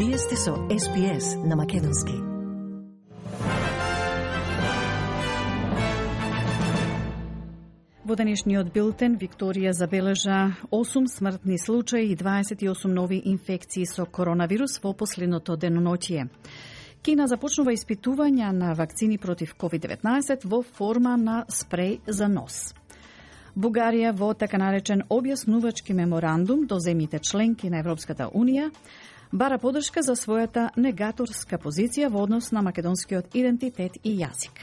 Вие сте со SPS на Македонски. Во денешниот билтен Викторија забележа 8 смртни случаи и 28 нови инфекции со коронавирус во последното деноноќие. Кина започнува испитувања на вакцини против COVID-19 во форма на спреј за нос. Бугарија во така наречен објаснувачки меморандум до земјите членки на Европската Унија бара поддршка за својата негаторска позиција во однос на македонскиот идентитет и јазик.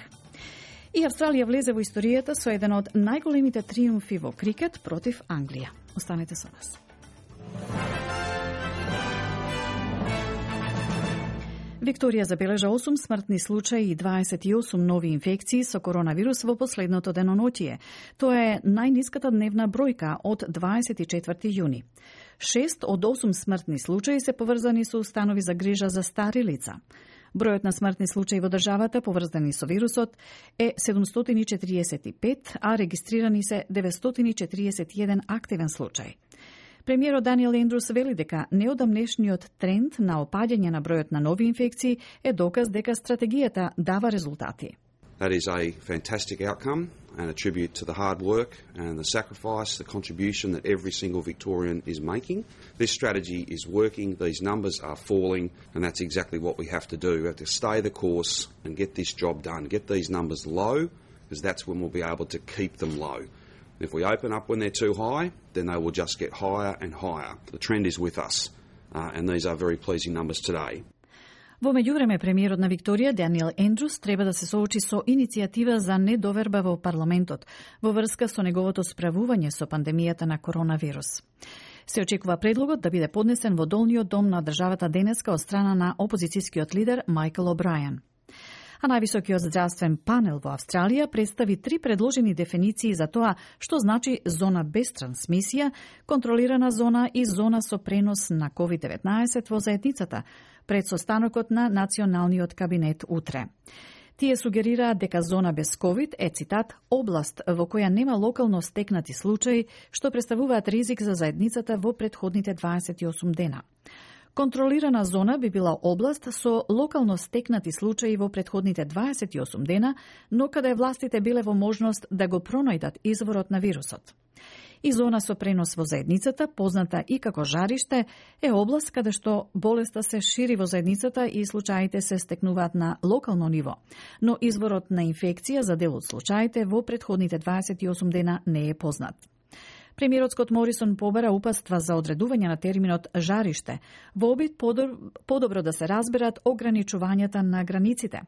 И Австралија влезе во историјата со еден од најголемите триумфи во крикет против Англија. Останете со нас. Викторија забележа 8 смртни случаи и 28 нови инфекции со коронавирус во последното деноноќие. Тоа е најниската дневна бројка од 24 јуни. 6 од 8 смртни случаи се поврзани со установи за грижа за стари лица. Бројот на смртни случаи во државата поврзани со вирусот е 745, а регистрирани се 941 активен случај. Премиерот Даниел Ендрус вели дека неодамнешниот тренд на опаѓање на бројот на нови инфекции е доказ дека стратегијата дава резултати. That is a fantastic outcome and a tribute to the hard work and the sacrifice, the contribution that every single Victorian is making. This strategy is working, these numbers are falling, and that's exactly what we have to do. We have to stay the course and get this job done, get these numbers low, because that's when we'll be able to keep them low. If we open up when they're too high, then they will just get higher and higher. The trend is with us, and these are very pleasing numbers today. Во меѓувреме, премиерот на Викторија, Даниел Ендрус, треба да се соочи со иницијатива за недоверба во парламентот во врска со неговото справување со пандемијата на коронавирус. Се очекува предлогот да биде поднесен во долниот дом на државата денеска од страна на опозицијскиот лидер Майкл О'Брајан. А највисокиот здравствен панел во Австралија представи 3 предложени дефиниции за тоа што значи зона без трансмисија, контролирана зона и зона со пренос на COVID-19 во заедницата, пред состанокот на Националниот кабинет утре. Тие сугерираат дека зона без COVID е, цитат, област во која нема локално стекнати случаи, што представуваат ризик за заедницата во претходните 28 дена. Контролирана зона би била област со локално стекнати случаи во претходните 28 дена, но каде властите биле во можност да го пронајдат изворот на вирусот. И зона со пренос во заедницата, позната и како жариште, е област каде што болеста се шири во заедницата и случаите се стекнуваат на локално ниво, но изворот на инфекција за дел од случаите во претходните 28 дена не е познат. Премиерот Скот Морисон побара упатства за одредување на терминот жариште во обид подобро да се разберат ограничувањата на границите.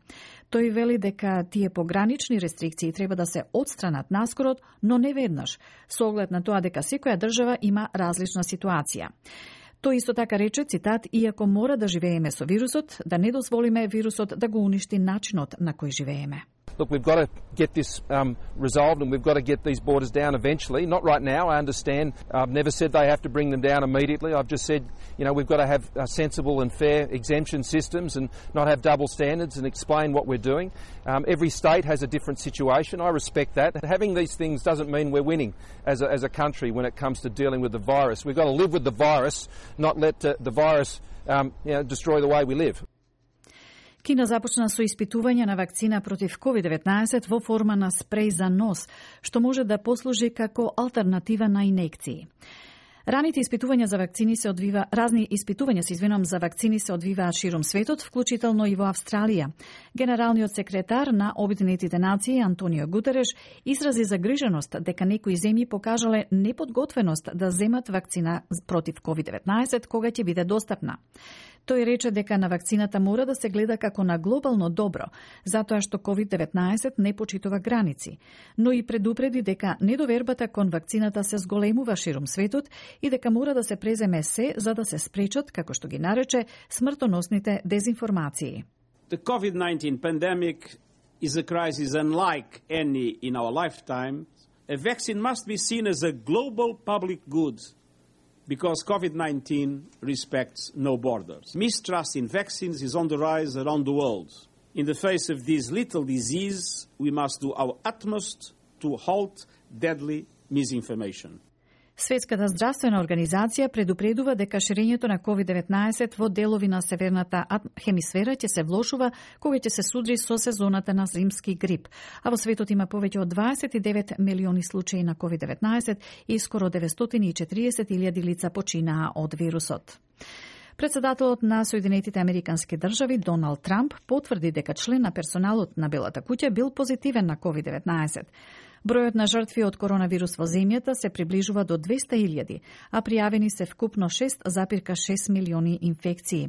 Тој вели дека тие погранични рестрикции треба да се отстранат наскорот, но не веднаш, со оглед на тоа дека секоја држава има различна ситуација. Тој исто така рече, цитат, иако мора да живееме со вирусот, да не дозволиме вирусот да го уништи начинот на кој живееме. Look, we've got to get this resolved and we've got to get these borders down eventually. Not right now, I understand. I've never said they have to bring them down immediately. I've just said, we've got to have sensible and fair exemption systems and not have double standards and explain what we're doing. Every state has a different situation. I respect that. Having these things doesn't mean we're winning as a country when it comes to dealing with the virus. We've got to live with the virus, not let the virus destroy the way we live. Кина започна со испитување на вакцина против COVID-19 во форма на спреј за нос, што може да послужи како алтернатива на инекции. Разни испитувања за вакцини се одвиваат широм светот, вклучително и во Австралија. Генералниот секретар на Обединетите нации Антонио Гутереш изрази загриженост дека некои земји покажале неподготвеност да земат вакцина против COVID-19 кога ќе биде достапна. Тој рече дека на вакцината мора да се гледа како на глобално добро, затоа што COVID-19 не почитува граници, но и предупреди дека недовербата кон вакцината се зголемува широм светот и дека мора да се преземе се за да се спречат, како што ги нарече, смртоносните дезинформации. The COVID-19 pandemic is a crisis unlike any in our lifetime. A vaccine must be seen as a global public good because COVID-19 respects no borders. Mistrust in vaccines is on the rise around the world. In the face of this lethal disease, we must do our utmost to halt deadly misinformation. Светската здравствена организација предупредува дека ширењето на COVID-19 во делови на северната хемисфера ќе се влошува кога ќе се судри со сезоната на зимски грип, а во светот има повеќе од 29 милиони случаи на COVID-19 и скоро 940.000 лица починаа од вирусот. Председателот на Соединетите Американски држави Доналд Трамп потврди дека член на персоналот на Белата куќа бил позитивен на COVID-19. Бројот на жртви од коронавирус во земјата се приближува до 200.000, а пријавени се вкупно 6,6 милиони инфекции.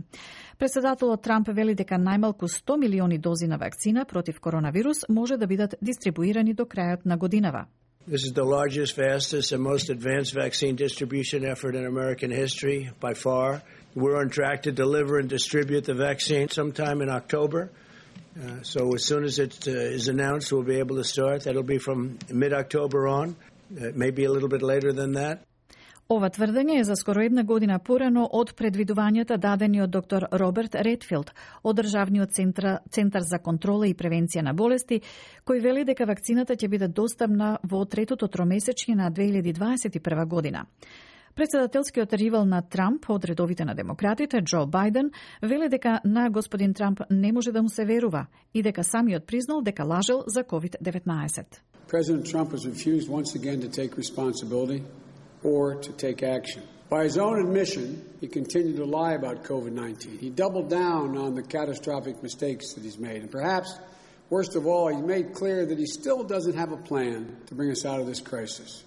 Председателот Трамп вели дека најмалку 100 милиони дози на вакцина против коронавирус може да бидат дистрибуирани до крајот на годинава. This is the largest, fastest, and most advanced vaccine distribution effort in American history, by far. We're on track to deliver and distribute the vaccine sometime in October. So as soon as it is announced, we'll be able to start. That'll be from mid-October on, maybe a little bit later than that. Ова тврдење е за скоро една година порано од предвидувањата дадени од доктор Роберт Редфилд од Државниот центар за контрола и превенција на болести, кој вели дека вакцината ќе биде достапна во третото тромесечје на 2021 година. Председателскиот ривал на Трамп од редовите на демократите, Џо Бајден, вели дека на господин Трамп не може да му се верува и дека самиот признал дека лажел за COVID-19. President Trump has refused once again to take responsibility or to take action. By his own admission, he continued to lie about COVID-19. He doubled down on the catastrophic mistakes that he's made. And perhaps, worst of all, he made clear that he still doesn't have a plan to bring us out of this crisis.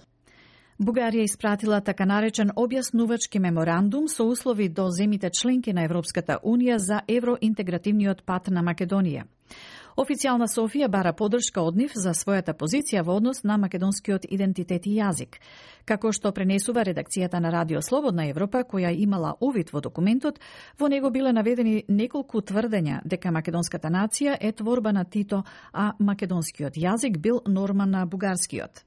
Бугарија испратила така наречен објаснувачки меморандум со услови до земите членки на Европската Унија за евроинтегративниот пат на Македонија. Официјална Софија бара поддршка од нив за својата позиција во однос на македонскиот идентитет и јазик. Како што пренесува редакцијата на Радио Слободна Европа, која имала увид во документот, во него биле наведени неколку тврдења дека македонската нација е творба на Тито, а македонскиот јазик бил норма на бугарскиот.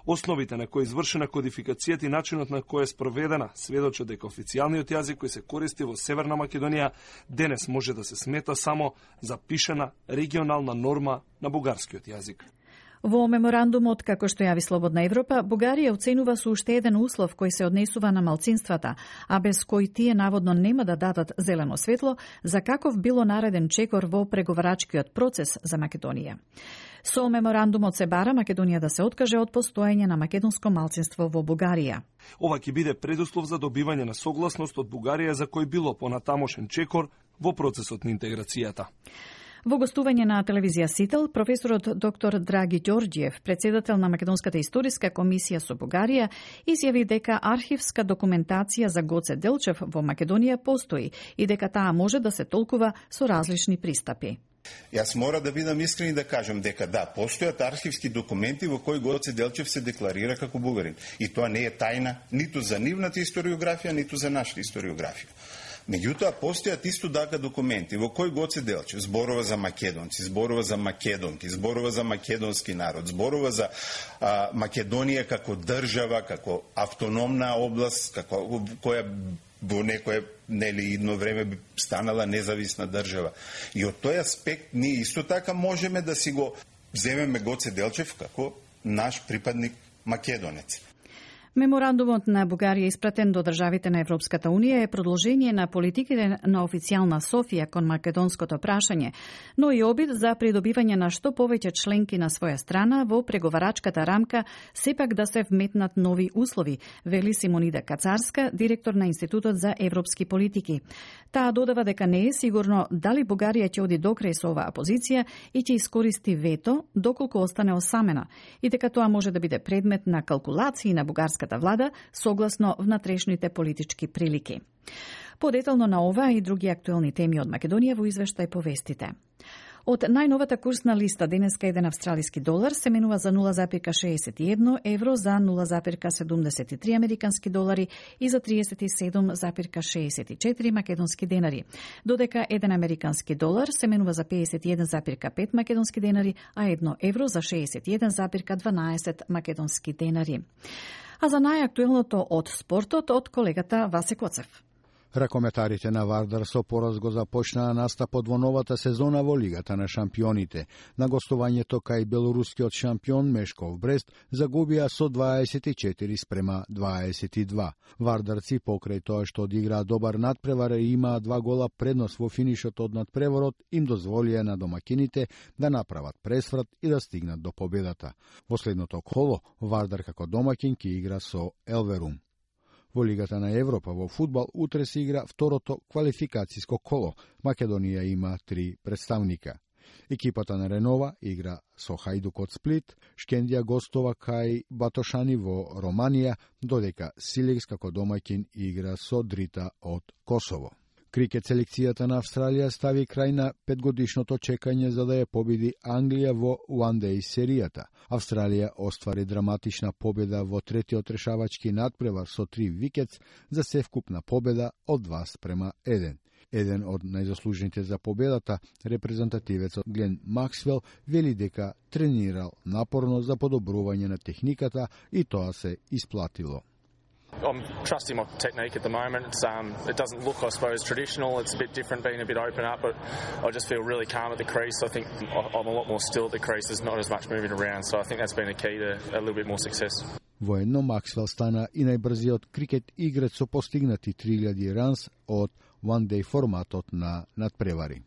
Основите на кои извршена кодификацијата и начинот на кој е спроведена сведочат дека официјалниот јазик кој се користи во Северна Македонија денес може да се смета само запишена регионална норма на бугарскиот јазик. Во меморандумот, како што јави Слободна Европа, Бугарија оценува со уште еден услов кој се однесува на малцинствата, а без кој тие наводно нема да дадат зелено светло за каков било нареден чекор во преговарачкиот процес за Македонија. Со меморандумот се бара Македонија да се откаже од постоење на македонско малцинство во Бугарија. Ова ќе биде предуслов за добивање на согласност од Бугарија за кој било понатамошен чекор во процесот на интеграцијата. Во гостување на телевизија Сител, професорот доктор Драги Ѓорѓиев, председател на Македонската историска комисија со Бугарија, изјави дека архивска документација за Гоце Делчев во Македонија постои и дека таа може да се толкува со различни пристапи. Јас мора да бидам искрен и да кажам дека да, постојат архивски документи во кои Гоце Делчев се декларира како бугарин. И тоа не е тајна ниту за нивната историографија, ниту за нашата историографија. Меѓутоа, постојат исто така документи во кои Гоце Делчев зборува за македонци, зборува за македонки, зборува за македонски народ, зборува за Македонија како држава, како автономна област, како која во некое идно време би станала независна држава. И од тој аспект ние исто така можеме да си го земеме Гоце Делчев како наш припадник македонец. Меморандумот на Бугарија испратен до државите на Европската Унија е продолжение на политиките на официјална Софија кон македонското прашање, но и обид за придобивање на што повеќе членки на своја страна во преговарачката рамка, сепак да се вметнат нови услови, вели Симонида Кацарска, директор на Институтот за европски политики. Таа додава дека не е сигурно дали Бугарија ќе оди докрај со оваа позиција и ќе искористи вето доколку остане осамена, и дека тоа може да биде предмет на калкулации на бугарската влада согласно внатрешните политички прилики. Подетално на ова и други актуелни теми од Македонија во извештај повестите. Од најновата курсна листа денеска еден австралиски долар се менува за 0,61 евро, за 0,73 американски долари и за 37,64 македонски денари, додека еден американски долар се менува за 51,5 македонски денари, а 1 евро за 61,12 македонски денари. А за најактуелното од спортот од колегата Васе Коцев. Ракометарите на Вардар со пораз го започнаа настапот во новата сезона во Лигата на шампионите. На гостувањето кај белорускиот шампион Мешков Брест загубија со 24-22. Вардарци покрај тоа што одиграа добар надпревар и имаа 2 гола предност во финишот од надпреворот, им дозволија на домакините да направат пресврат и да стигнат до победата. Во следното коло Вардар како домакин ќе игра со Елверум. Во Лигата на Европа во фудбал утре се игра второто квалификацијско коло. Македонија има 3 представника. Екипата на Ренова игра со Хајдук од Сплит, Шкендија гостова кај Батошани во Романија, додека Силекс како домаќин игра со Дрита од Косово. Крикет селекцијата на Австралија стави крај на 5-годишното чекање за да ја победи Англија во One Day серијата. Австралија оствари драматична победа во третиот решавачки надпревар со 3 викетс за севкупна победа од 2-1. Еден од најзаслужените за победата, репрезентативецот Глен Максвел, вели дека тренирал напорно за подобрување на техниката и тоа се исплатило. I'm trusting my technique at the moment. It doesn't look, I suppose, traditional. It's a bit different, being a bit open up, but I just feel really calm at the crease. I think I'm a lot more still at the crease. There's not as much moving around, so I think that's been a key to a little bit more success. Воедно Максвел стана и најбрзиот крикет играч со постигнати 3000 ранс од One Day форматот на надпревари.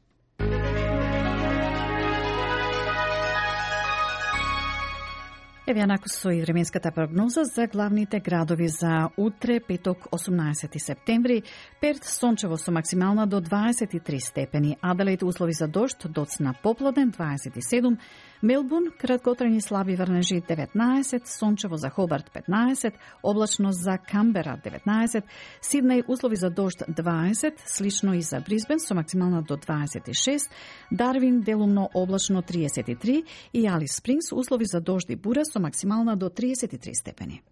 Еве јанаку со и временската прогноза за главните градови за утре, петок, 18 септември. Перт сончево со максимална до 23 степени, Аделаид услови за дожд, доцна поплоден 27, Мелбурн краткотрajни слаби врнежи 19, сончево за Хобарт 15, облачно за Камбера 19, Сиднеј услови за дожд 20, слично и за Брисбен со максимална до 26, Дарвин делумно облачно 33 и Алис Спрингс услови за дожд и бура со максимална до 33 степени.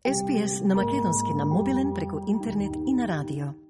SPS на македонски на мобилен преку интернет и на радио.